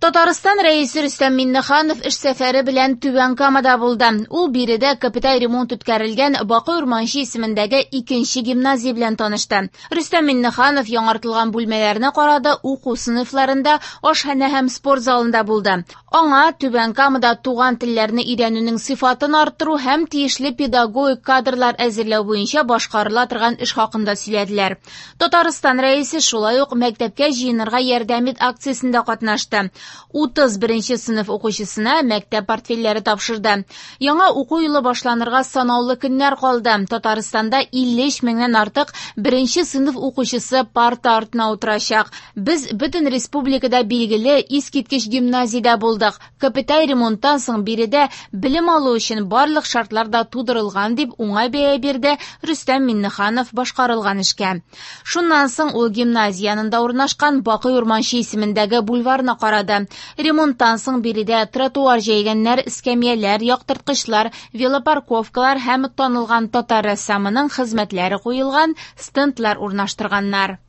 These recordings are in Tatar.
Татарстан Рәисе Рөстәм Миңнеханов эш сәфәре белән Түбән Камада булды. Ул биредә капиталь ремонт үткәрелгән Бакый Урманче исемендәге икенче гимназия белән танышты. Рөстәм Миңнеханов яңартылган бүлмәләрне карады, уку сыйныфларында, ашханә һәм спорт залында булды. Аңа Түбән Камада туган телләрне өйрәнүнең сыйфатын арттыру һәм тиешле педагогик кадрлар әзерләү буенча башкарыла торган эш хакында сөйләделәр. Татарстан Рәисе шулай ук мәктәпкә җыенырга ярдәм ит акциясендә катнашты. 31 сыйныф укучысына мәктәп портфельләре тапшырды. Яңа уку елы башланырга санаулы көннәр калды. Татарстанда 53 меңнән артык беренче сыйныф укучысы парта артына утырачак. Без бөтен республикада билгеле искиткеч гимназиядә булдык. Капиталь ремонттан соң биредә белем алу өчен барлык шартлар да тудырылган, дип уңай бәя бирде Рөстәм Миңнеханов башкарылган эшкә. Шуннан соң ул гимназия янында урнашкан Бакый Урманче исемендәге бульварны карады. Ремонттан соң биредә тротуар җәйгәннәр, эскәмияләр, яктырткычлар, велопарковкалар һәм танылган татар рәссамының хезмәтләре куелган стендлар урнаштырганнар.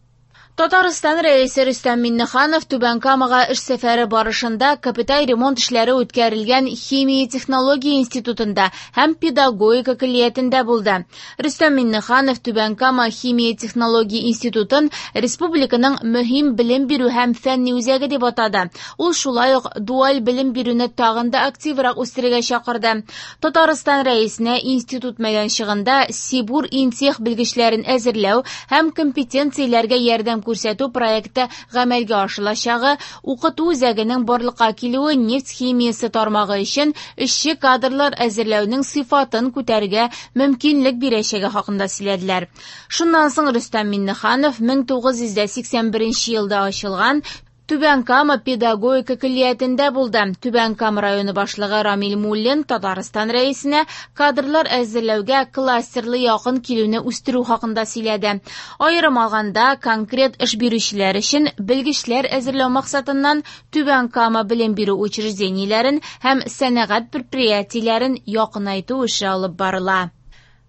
Татарстан Рәисе Рөстәм Миңнеханов Түбән Камага эш сәфәре барышында капиталь ремонт эшләре үткәрелгән Химия технология институтында һәм педагогика көллиятендә булды. Рөстәм Миңнеханов Түбән Кама химия технология институтын республиканың мөһим белем бирү һәм фәнни үзәге дип атады. Ул шулай ук дуаль белем бирүне тагын да активрак үстерергә чакырды. Татарстан Рәисенә институт мәйданчыгында Сибур Интех белгечләрен әзерләү һәм компетенцияләргә ярдәм күрсәтү проекты гамәлгә ашырылачагы, укыту үзәгенең барлыкка килүе нефть химиясе тармагы өчен эшче кадрлар әзерләүнең сыйфатын күтәрергә мөмкинлек бирәчәге хакында сөйләделәр. Шуннан соң Рөстәм Миңнеханов 1981 елда ачылган Түбән Кама педагогика көллиятендә булды. Түбән Кама районы башлыгы Рамил Муллин Татарстан Рәисенә кадрлар әзерләүгә кластерлы якын килүне үстерү хакында сөйләде. Аерым алганда, конкрет эш бирүчеләр өчен белгечләр әзерләү максатыннан Түбән Кама белем бирү учреждениеләрен һәм сәнәгать предприятиеләрен якынайту эше алып барыла.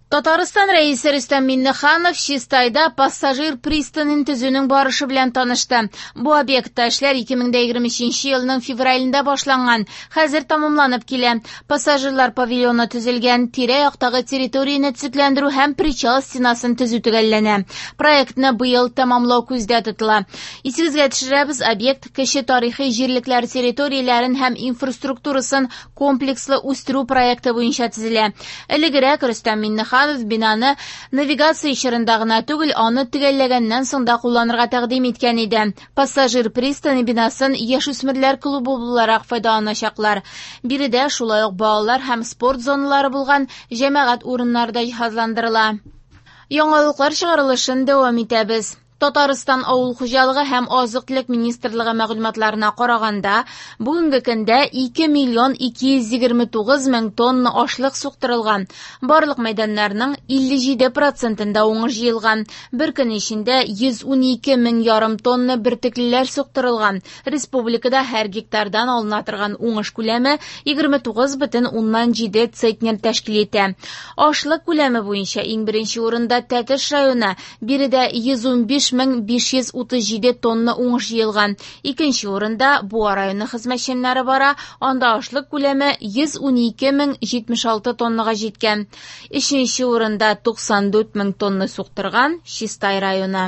Татарстан Рәисе Рөстәм Миңнеханов Чистайда пассажир пристанен төзүнең барышы белән танышты. Бу объектта эшләр 2023 елның февралендә башланган, хәзер тәмамланып килә. Пассажирлар павильоны төзелгән, тирә-яктагы территорияне төзекләндерү һәм причал стенасын төзү төгәлләнә. Проектны быел тәмамлау күздә тотыла. Исегезгә төшерәбез, объект кече тарихи җирлекләр территорияләрен һәм инфраструктурасын комплекслы үстерү проекты буенча төзелә. Элегрәк Рөстәм Миңнеханов бинаны навигация чорында гына түгел, аны төгәлләгәннән соң да кулланырга тәкъдим иткән иде. Пассажир пристане бинасын яшүсмерләр клубы буларак файдаланачаклар. Биредә шулай ук балалар һәм спорт зоналары булган җәмәгать урыннары да җиһазландырыла. Яңалыклар чыгарылышын дәвам итәбез. Татарстан авыл хуҗалыгы һәм азык-төлек министрлыгы мәгълүматларына караганда, бүгенге көндә 2 миллион 229 мең тонна ашлык суктырылган. Барлык мәйданнарның 57%-ында уңыш җыелган. Бер көн эчендә 112 мең ярым тонна бөртеклеләр суктырылган. Республикада һәр гектардан алына торган уңыш күләме 29,7 центнер тәшкил итә. Ашлык күләме буенча иң беренче урында Тәтеш районы. Биредә 115 537 тонна уңыш җыелган. Икенче урында Буа районы хезмәтчәннәре бара, анда ашлык күләме 112 076 тоннага җиткән. Өченче урында 94 мең тонна суктырган Чистай районы.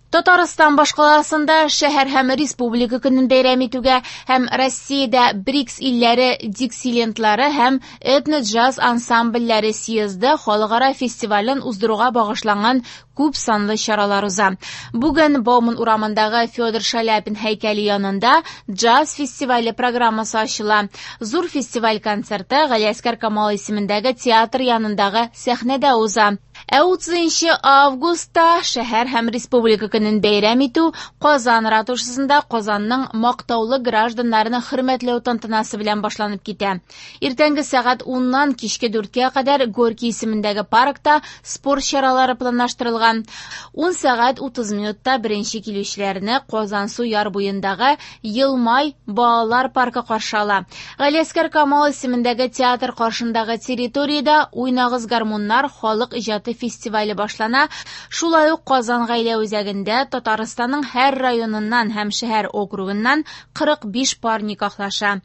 Татарстан башкаласында шәһәр һәм республика көнен бәйрәм итүгә һәм Россиядә БРИКС илләре диксилентлары һәм этно-джаз ансамбльләре съезды халыкара фестивален уздыруга багышланган күп санлы чаралар уза. Бүген Бауман урамындагы Федор Шаляпин һәйкәле янында джаз фестивале программасы ачыла. Зур фестиваль концерты Галиәсгар Камал исемендәге театр янындагы сәхнәдә уза. Ә 30 августта шәһәр һәм республика көнен бәйрәм итү Казан ратушасында Казанның мактаулы гражданнарны хөрмәтләү тантанасы белән башланып китә. Иртәнге сәгать 10-нан кичке 4-кә кадәр Горький исемендәге паркта спорт чаралары планлаштырылган. 10 сәгать 30 минутта беренче килүчеләрне Казансу яр буендагы Елмай балалар паркы каршы ала. Галиәсгар Камал исемендәге театр каршындагы территориядә Уйнагыз гармуннар халык иҗаты фестивале башлана. Шулай ук Казан гаилә үзәгендә Татарстанның һәр районыннан һәм шәһәр округыннан 45 пар никахлаша.